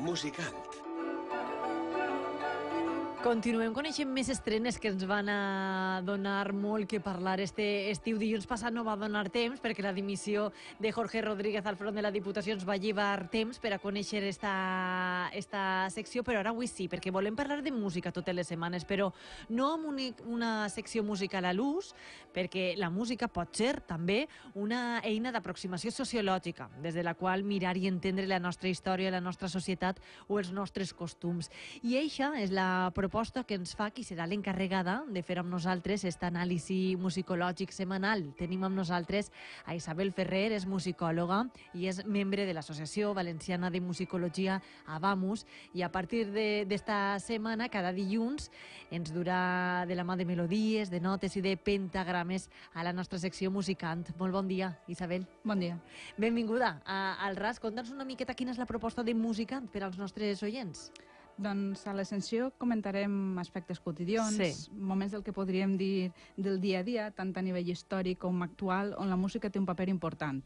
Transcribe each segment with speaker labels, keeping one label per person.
Speaker 1: Musicant.
Speaker 2: Continuem coneixent més estrenes que ens van a donar molt que parlar este estiu. Dilluns passat no va donar temps perquè la dimissió de Jorge Rodríguez al front de la Diputació ens va llevar temps per a conèixer esta secció, però ara avui sí, perquè volem parlar de música totes les setmanes, però no amb una secció musical a l'ús, perquè la música pot ser també una eina d'aproximació sociològica, des de la qual mirar i entendre la nostra història, la nostra societat o els nostres costums. I eixa és la proposta que ens fa qui serà l'encarregada de fer amb nosaltres aquesta anàlisi musicològic setmanal. Tenim amb nosaltres a Isabel Ferrer, és musicòloga i és membre de l'Associació Valenciana de Musicologia Avamus, i a partir d'esta setmana, cada dilluns, ens durà de la mà de melodies, de notes i de pentagrames a la nostra secció Musicant. Molt bon dia, Isabel.
Speaker 3: Bon dia.
Speaker 2: Benvinguda al RAS. Conta'ns una miqueta quina és la proposta de Musicant per als nostres oients.
Speaker 3: Doncs a l'Ascensió comentarem aspectes quotidians,
Speaker 2: Sí.
Speaker 3: moments del que podríem dir del dia a dia, tant a nivell històric com actual, on la música té un paper important.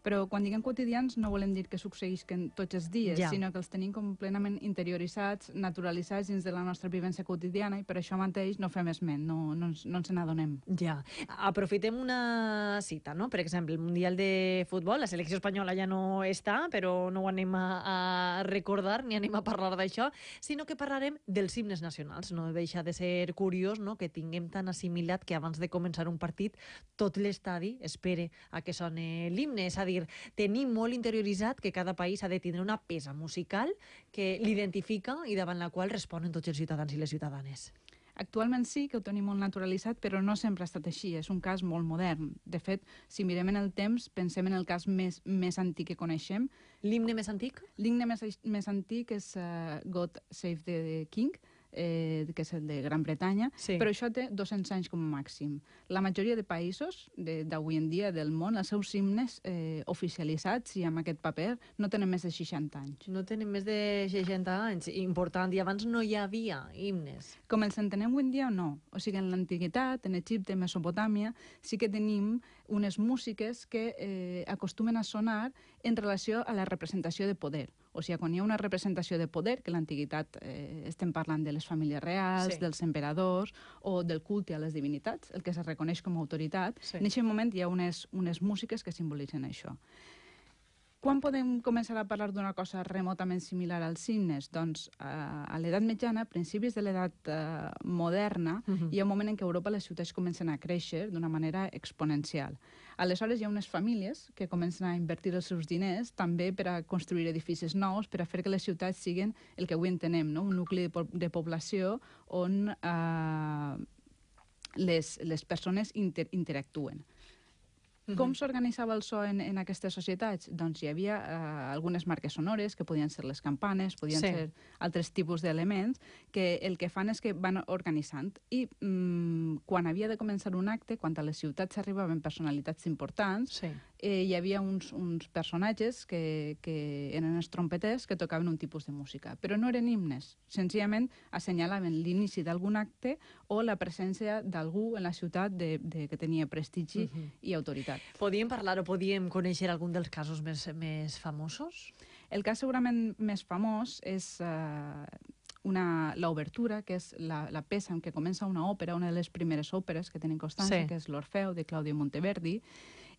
Speaker 3: Però quan diguem quotidians no volem dir que succeïsquen tots els dies,
Speaker 2: Ja.
Speaker 3: sinó que els tenim completament interioritzats, naturalitzats dins de la nostra vivència quotidiana, i per això mateix no fem esment, no ens n'adonem.
Speaker 2: Ja. Aprofitem una cita, no? Per exemple, el Mundial de Futbol, la selecció espanyola ja no està, però no ho anem a recordar ni anem a parlar d'això, sinó que parlarem dels himnes nacionals. No deixa de ser curiós, no?, que tinguem tan assimilat que abans de començar un partit tot l'estadi espere a que soni l'himne. És a dir, tenim molt interioritzat que cada país ha de tindre una peça musical que l'identifica i davant la qual responen tots els ciutadans i les ciutadanes.
Speaker 3: Actualment sí que ho tenim molt naturalitzat, però no sempre ha estat així. És un cas molt modern. De fet, si mirem en el temps, pensem en el cas més antic que coneixem.
Speaker 2: L'himne més antic?
Speaker 3: L'himne més antic és God Save the King, que és el de Gran Bretanya,
Speaker 2: Sí.
Speaker 3: però això té 200 anys com a màxim. La majoria de països d'avui en dia del món, els seus himnes oficialitzats i amb aquest paper no tenen més de 60 anys.
Speaker 2: No tenen més de 60 anys. Important. I abans no hi havia himnes.
Speaker 3: Com els entenem avui en dia, no. O sigui, en l'antiguitat, en Egipte, Mesopotàmia, sí que tenim unes músiques que acostumen a sonar en relació a la representació de poder. O sigui, quan hi ha una representació de poder, que a l'antiguitat estem parlant de les famílies reals,
Speaker 2: Sí.
Speaker 3: dels emperadors o del culte a les divinitats, el que se reconeix com a autoritat,
Speaker 2: Sí.
Speaker 3: en aquest moment hi ha unes músiques que simbolitzen això. Quan podem començar a parlar d'una cosa remotament similar als himnes? Doncs a l'edat mitjana, a principis de l'edat moderna, hi ha un moment en què a Europa les ciutats comencen a créixer d'una manera exponencial. Aleshores hi ha unes famílies que comencen a invertir els seus diners també per a construir edificis nous, per a fer que les ciutats siguin el que avui entenem, no? Un nucli de població on les persones interactuen. Com s'organitzava el so en aquestes societats? Doncs hi havia algunes marques sonores, que podien ser les campanes, podien
Speaker 2: Sí.
Speaker 3: ser altres tipus d'elements, que el que fan és que van organitzant. I quan havia de començar un acte, quan a les ciutats arribaven personalitats importants,
Speaker 2: Sí.
Speaker 3: hi havia uns personatges que eren els trompeters que tocaven un tipus de música. Però no eren himnes, senzillament assenyalaven l'inici d'algun acte o la presència d'algú en la ciutat que tenia prestigi i autoritat.
Speaker 2: Podíem parlar o podíem conèixer algun dels casos més famosos?
Speaker 3: El cas segurament més famós és l'obertura, que és la peça en què comença una òpera, una de les primeres òperes que tenen constància,
Speaker 2: Sí.
Speaker 3: que és l'Orfeu, de Claudio Monteverdi,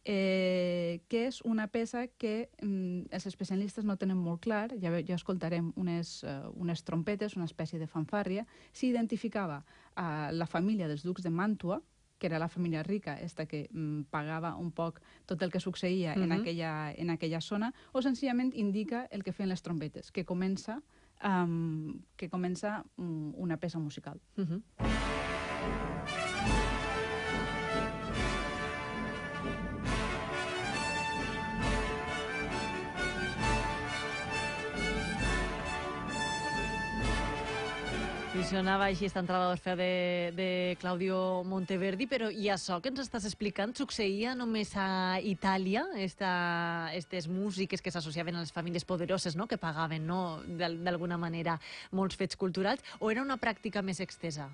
Speaker 3: que és una peça que els especialistes no tenen molt clar, ja escoltarem unes trompetes, una espècie de fanfàrria. S'identificava a la família dels ducs de Màntua, que era la família rica, que pagava un poc tot el que succeïa en aquella zona, o senzillament indica el que feien les trompetes, que comença una peça musical.
Speaker 2: Sonava així esta entrada d'Orfeu de Claudio Monteverdi, però i això que ens estàs explicant succeïa només a Itàlia, aquestes músiques que s'associaven a les famílies poderoses, no?, que pagaven, no?, d'alguna manera molts fets culturals, o era una pràctica més extesa?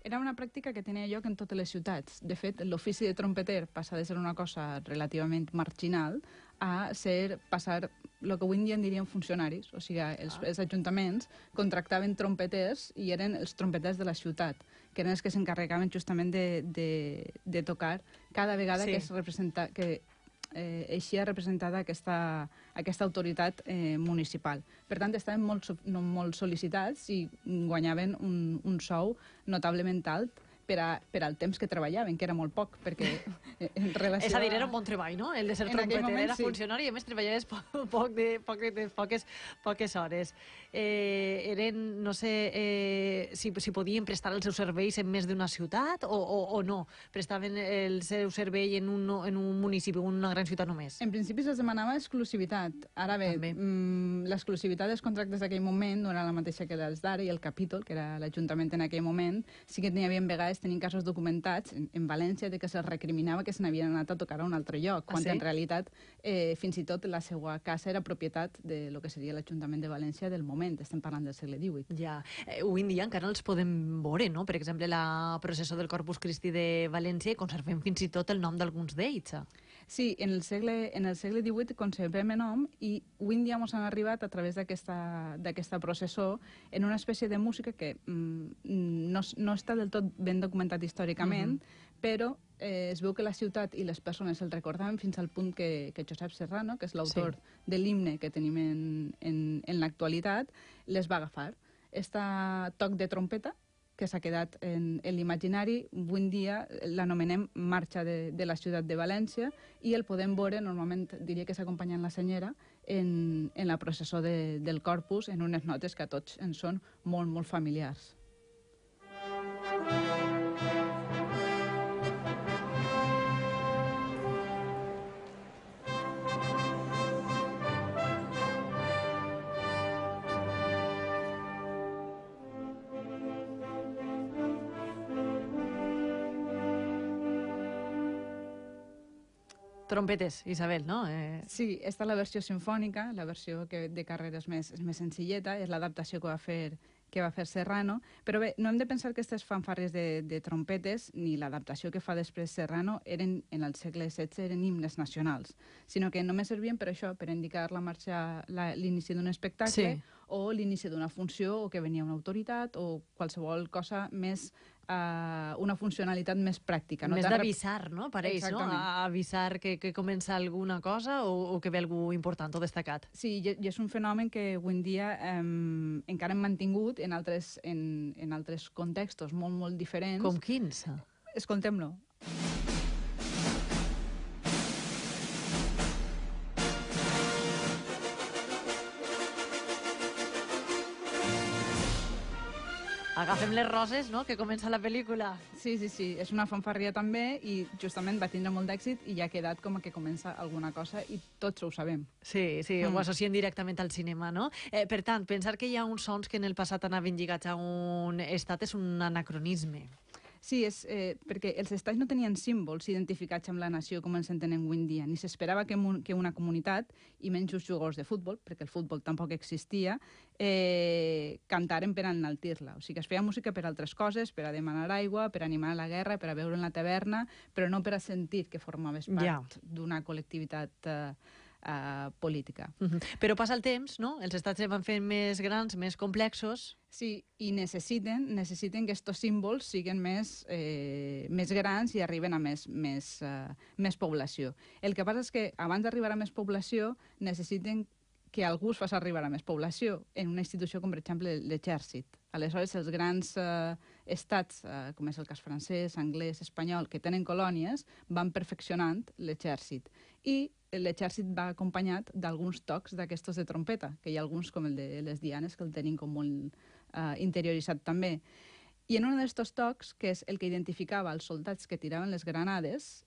Speaker 3: Era una pràctica que tenia lloc en totes les ciutats. De fet, l'ofici de trompeter passa de ser una cosa relativament marginal a passar el que avui en dia en diríem funcionaris, o sigui, els ajuntaments contractaven trompeters i eren els trompeters de la ciutat, que eren els que s'encarregaven justament de tocar cada vegada que es representa, que eixia representada aquesta autoritat municipal. Per tant, estaven molt sol·licitats i guanyaven un sou notablement alt per al temps que treballaven, que era molt poc, perquè en relació...
Speaker 2: És a dir, era un bon treball, no? El de ser trompeter, era funcionari i a més treballaves poques hores. Eren, no sé, si podien prestar els seus serveis en més d'una ciutat o no? Prestaven el seu servei en un municipi, en una gran ciutat només?
Speaker 3: En principi se'ls demanava exclusivitat. Ara bé, l'exclusivitat dels contractes d'aquell moment no era la mateixa que els d'ara, i el capítol, que era l'Ajuntament en aquell moment, sí que n'hi havia vegades tenint casos documentats en València de que se'ls recriminava que se n'havien anat a tocar a un altre lloc, quan en realitat fins i tot la seva casa era propietat de lo que seria l'Ajuntament de València del moment. Estem parlant del segle XVIII.
Speaker 2: Ja. Avui en dia encara els podem veure, no? Per exemple, la processó del Corpus Christi de València i conservem fins i tot el nom d'alguns d'ells.
Speaker 3: Sí, en el segle XVIII conservem el nom i avui en dia ens han arribat a través d'aquesta processó en una espècie de música que no està del tot ben documentat històricament, però es veu que la ciutat i les persones el recordaven fins al punt que Josep Serrano, que és l'autor de l'himne que tenim en l'actualitat, les va agafar. Este toc de trompeta, que s'ha quedat en l'imaginari, avui en dia l'anomenem Marxa de la ciutat de València i el podem veure, normalment diria que s'acompanya en la senyera, en la processó del Corpus, en unes notes que a tots ens són molt, molt familiars.
Speaker 2: Trompetes, Isabel, no?
Speaker 3: Sí, esta és la versió sinfònica, la versió de carrera és més senzilleta, és l'adaptació que va fer Serrano, però bé, no hem de pensar que aquestes fanfarres de trompetes ni l'adaptació que fa després Serrano eren, en el segle XVI, eren himnes nacionals, sinó que només servien per això, per indicar la marxa, l'inici d'un espectacle o l'inici d'una funció, o que venia una autoritat, o qualsevol cosa més, una funcionalitat més pràctica.
Speaker 2: Més d'avisar, no? Pareix, no? Avisar que comença alguna cosa o que ve algú important o destacat.
Speaker 3: Sí, i és un fenomen que avui en dia encara hem mantingut en altres contextos molt, molt diferents.
Speaker 2: Com quins?
Speaker 3: Escoltem-lo.
Speaker 2: Agafem les roses, no?, que comença la pel·lícula.
Speaker 3: Sí, és una fanfarria també i justament va tindre molt d'èxit i ja ha quedat com que comença alguna cosa i tots ho sabem.
Speaker 2: Sí, ho associem directament al cinema, no? Per tant, pensar que hi ha uns sons que en el passat anaven lligats a un estat és un anacronisme.
Speaker 3: Sí, és perquè els estats no tenien símbols identificats amb la nació com ens entenen avui en dia, ni s'esperava que una comunitat, i menys els jugadors de futbol, perquè el futbol tampoc existia, cantaren per enaltir-la. O sigui, es feia música per altres coses, per a demanar aigua, per animar a la guerra, per a veure en la taverna, però no per a sentir que formaves part d'una col·lectivitat política.
Speaker 2: Però passa el temps, no? Els estats es van fent més grans, més complexos.
Speaker 3: Sí, i necessiten que estos símbols siguin més grans i arriben a més població. El que passa és que abans d'arribar a més població necessiten que algú es faci arribar a més població en una institució com, per exemple, l'exèrcit. Aleshores, els grans estats, com és el cas francès, anglès, espanyol, que tenen colònies, van perfeccionant l'exèrcit. I l'exèrcit va acompanyat d'alguns tocs d'aquestos de trompeta, que hi ha alguns, com el de les dianes, que el tenim com molt interioritzat també. I en un d'aquests tocs, que és el que identificava els soldats que tiraven les granades,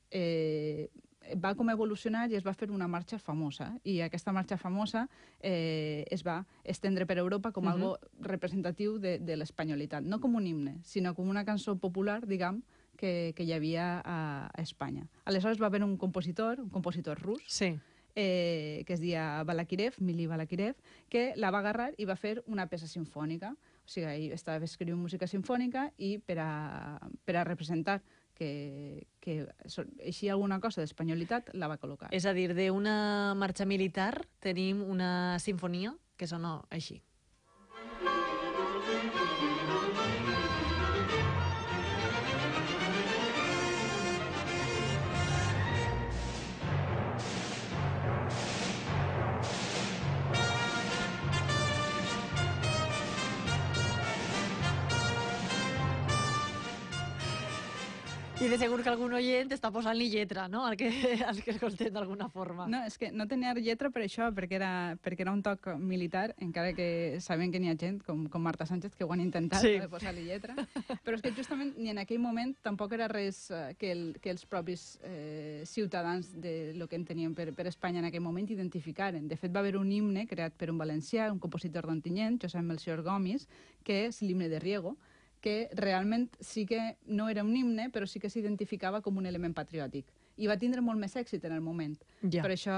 Speaker 3: va com evolucionar i es va fer una marxa famosa. I aquesta marxa famosa es va estendre per Europa com algo representatiu de l'espanyolitat. No com un himne, sinó com una cançó popular, diguem, que hi havia a Espanya. Aleshores va haver un compositor rus, que es deia Balakirev, Mili Balakirev, que la va agarrar i va fer una peça sinfònica. O sigui, ell estava escrivint música sinfònica i per a representar així alguna cosa d'espanyolitat la va col·locar.
Speaker 2: És a dir, d'una marxa militar tenim una sinfonia que sona així. I de segur que algun oient està posant-li lletra, no?, al que escoltem d'alguna forma.
Speaker 3: No, és que no tenia lletra per això, perquè era un toc militar, encara que sabem que n'hi ha gent, com Marta Sánchez, que ho han intentat,
Speaker 2: sí,
Speaker 3: de posar-li lletra. Però és que justament ni en aquell moment tampoc era res que els propis ciutadans de lo que entenien per Espanya en aquell moment identificaren. De fet, va haver un himne creat per un valencià, un compositor d'Ontinyent, Josep Melcior Gomis, que és l'himne de Riego, que realment sí que no era un himne, però sí que s'identificava com un element patriòtic. I va tindre molt més èxit en el moment.
Speaker 2: Ja.
Speaker 3: Per això,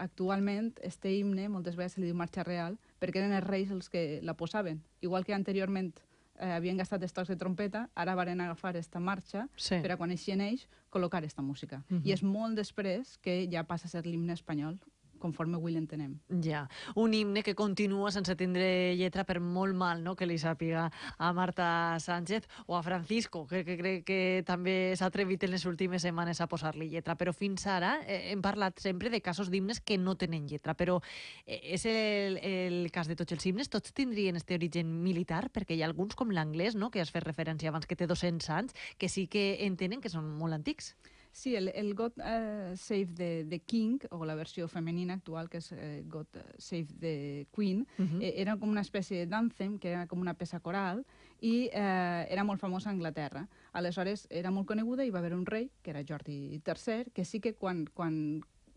Speaker 3: actualment, este himne moltes vegades se li diu marxa real, perquè eren els reis els que la posaven. Igual que anteriorment havien gastat els tocs de trompeta, ara varen agafar esta marxa per a quan així neix col·locar esta música. I és molt després que ja passa a ser l'himne espanyol, conforme avui l'entenem.
Speaker 2: Ja, un himne que continua sense tindre lletra per molt mal, no?, que li sàpiga a Marta Sánchez o a Francisco, que crec que també s'ha atrevit en les últimes setmanes a posar-li lletra. Però fins ara hem parlat sempre de casos d'himnes que no tenen lletra, però és el cas de tots els himnes? Tots tindrien este origen militar? Perquè hi ha alguns, com l'anglès, no?, que has fet referència abans, que té 200 anys, que sí que entenen que són molt antics.
Speaker 3: Sí, el God Save the King, o la versió femenina actual, que és God Save the Queen, era com una espècie d'ànthem, que era com una peça coral, i era molt famosa a Anglaterra. Aleshores, era molt coneguda i va haver un rei, que era Jordi III, que sí que quan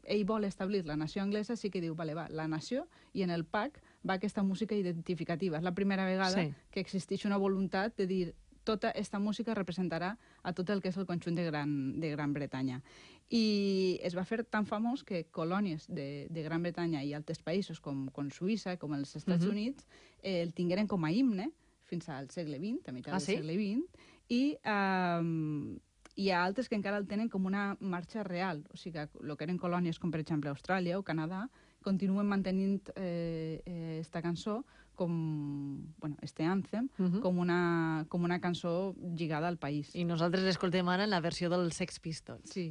Speaker 3: ell vol establir la nació anglesa, sí que diu, vale, va, la nació, i en el PAC va aquesta música identificativa. És la primera vegada que existeix una voluntat de dir tota aquesta música representarà a tot el que és el conjunt de Gran Bretanya. I es va fer tan famós que colònies de Gran Bretanya i altres països com Suïssa, com els Estats Units, el tingueren com a himne fins al segle XX, a meitat del segle XX, i hi ha altres que encara el tenen com una marxa real. O sigui, el que eren colònies com, per exemple, Austràlia o Canadà, continuen mantenint esta cançó este ànthem, com una cançó lligada al país.
Speaker 2: I nosaltres l'escoltem ara en la versió dels Sex Pistols.
Speaker 3: Sí.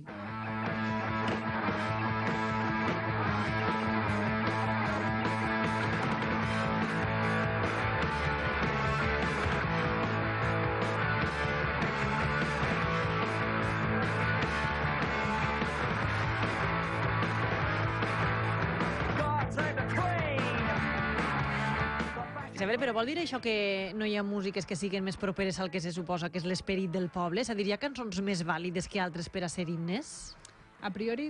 Speaker 2: Però vol dir això que no hi ha músiques que siguin més properes al que se suposa que és l'esperit del poble? És a dir, hi ha cançons més vàlides que altres per a ser himnes?
Speaker 3: A priori,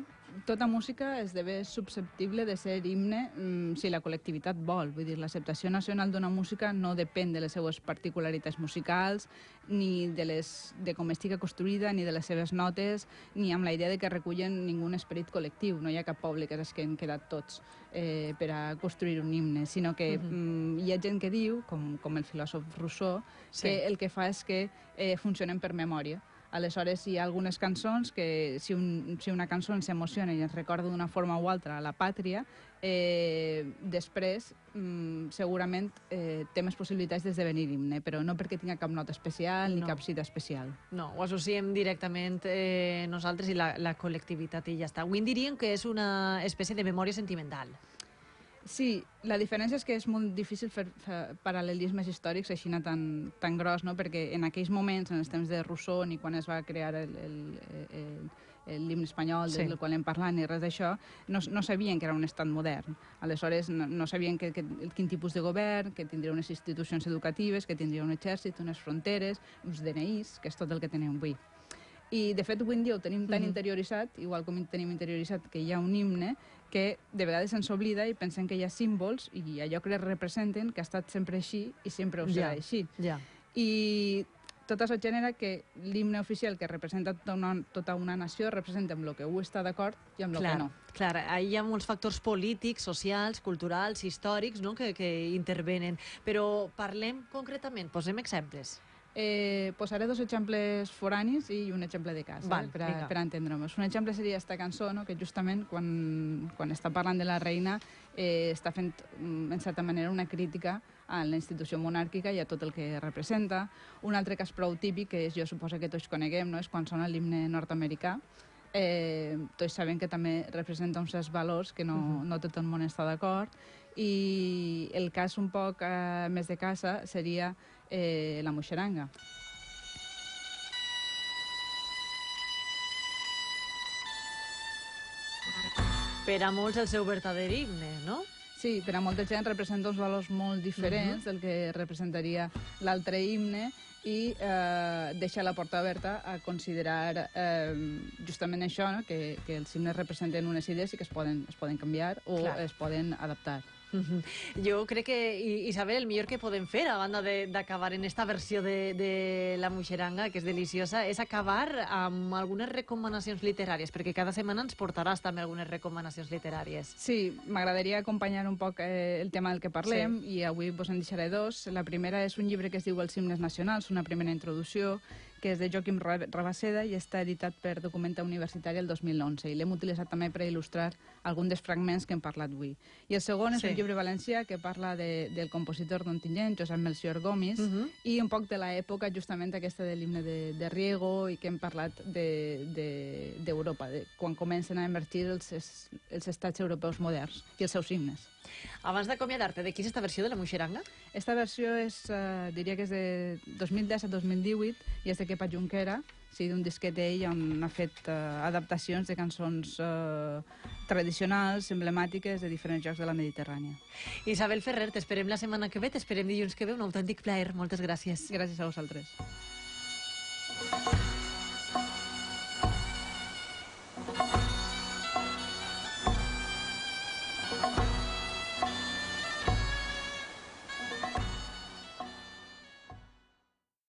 Speaker 3: tota música esdevé susceptible de ser himne si la col·lectivitat vol. Vull dir, l'acceptació nacional d'una música no depèn de les seues particularitats musicals, ni de com estigui construïda, ni de les seves notes, ni amb la idea de que recullen ningú esperit col·lectiu. No hi ha cap poble que s'hagin quedat tots per a construir un himne, sinó que hi ha gent que diu, com el filòsof Rousseau, que el que fa és que funcionen per memòria. Aleshores, hi ha algunes cançons que, si una cançó ens emociona i ens recorda d'una forma o altra a la pàtria, després segurament té més possibilitats d'esdevenir himne, però no perquè tinga cap nota especial ni cap cita especial.
Speaker 2: No, ho associem directament nosaltres i la col·lectivitat i ja està. Avui en diríem que és una espècie de memòria sentimental.
Speaker 3: Sí, la diferència és que és molt difícil fer paral·lelismes històrics així tan gros, no? Perquè en aquells moments, en els temps de Rousseau, ni quan es va crear l'himne espanyol del qual hem parlat, ni res d'això, no sabien que era un estat modern. Aleshores, no sabien quin tipus de govern, que tindria unes institucions educatives, que tindria un exèrcit, unes fronteres, uns DNIs, que és tot el que tenim avui. I, de fet, avui en dia ho tenim tan interioritzat, igual com tenim interioritzat que hi ha un himne, que de vegades ens oblida i pensem que hi ha símbols i allò que representen que ha estat sempre així i sempre ho serà així. I tot això genera que l'himne oficial que representa tota una nació representa amb el que ho està d'acord i amb el que no.
Speaker 2: Clar, hi ha molts factors polítics, socials, culturals, històrics, no?, que intervenen. Però parlem concretament, posem exemples.
Speaker 3: Posaré dos exemples foranis i un exemple de casa,
Speaker 2: Val,
Speaker 3: per a entendre'ns. Un exemple seria aquesta cançó, no? Que justament quan està parlant de la reina està fent, en certa manera, una crítica a la institució monàrquica i a tot el que representa. Un altre cas prou típic, que jo suposo que tots coneguem, no? És quan sona l'himne nord-americà. Tots sabem que també representa uns certs valors que no tot el món està d'acord, i el cas un poc més de casa seria la Muixeranga.
Speaker 2: Per a molts el seu verdader himne, no?
Speaker 3: Sí, per a molta gent representa uns valors molt diferents del que representaria l'altre himne, i deixa la porta oberta a considerar justament això, no? que els himnes representen unes idees i que es poden canviar o es poden adaptar.
Speaker 2: Jo crec que, Isabel, el millor que podem fer, a banda d'acabar en esta versió de la Muixeranga, que és deliciosa, és acabar amb algunes recomanacions literàries, perquè cada setmana ens portaràs també algunes recomanacions literàries.
Speaker 3: Sí, m'agradaria acompanyar un poc el tema del que parlem, i avui vos en deixaré dos. La primera és un llibre que es diu Els himnes nacionals, una primera introducció, que és de Joaquim Rabaseda i està editat per Documenta Universitària el 2011, i l'hem utilitzat també per il·lustrar alguns dels fragments que hem parlat avui. I el segon és un llibre valencià que parla del compositor d'Ontinyent, Josep Melcior Gomis, i un poc de l'època justament aquesta de l'himne de Riego, i que hem parlat d'Europa, quan comencen a emergir els estats europeus moderns i els seus himnes.
Speaker 2: Abans d'acomiadar-te, de qui és esta versió de la Muixeranga?
Speaker 3: Esta versió diria que és de 2010 a 2018 i és de Kepa Junquera, d'un disquet d'ell on ha fet adaptacions de cançons tradicionals, emblemàtiques de diferents llocs de la Mediterrània.
Speaker 2: Isabel Ferrer, t'esperem la setmana que ve, t'esperem dilluns que ve, un autèntic plaer. Moltes gràcies.
Speaker 3: Gràcies a vosaltres.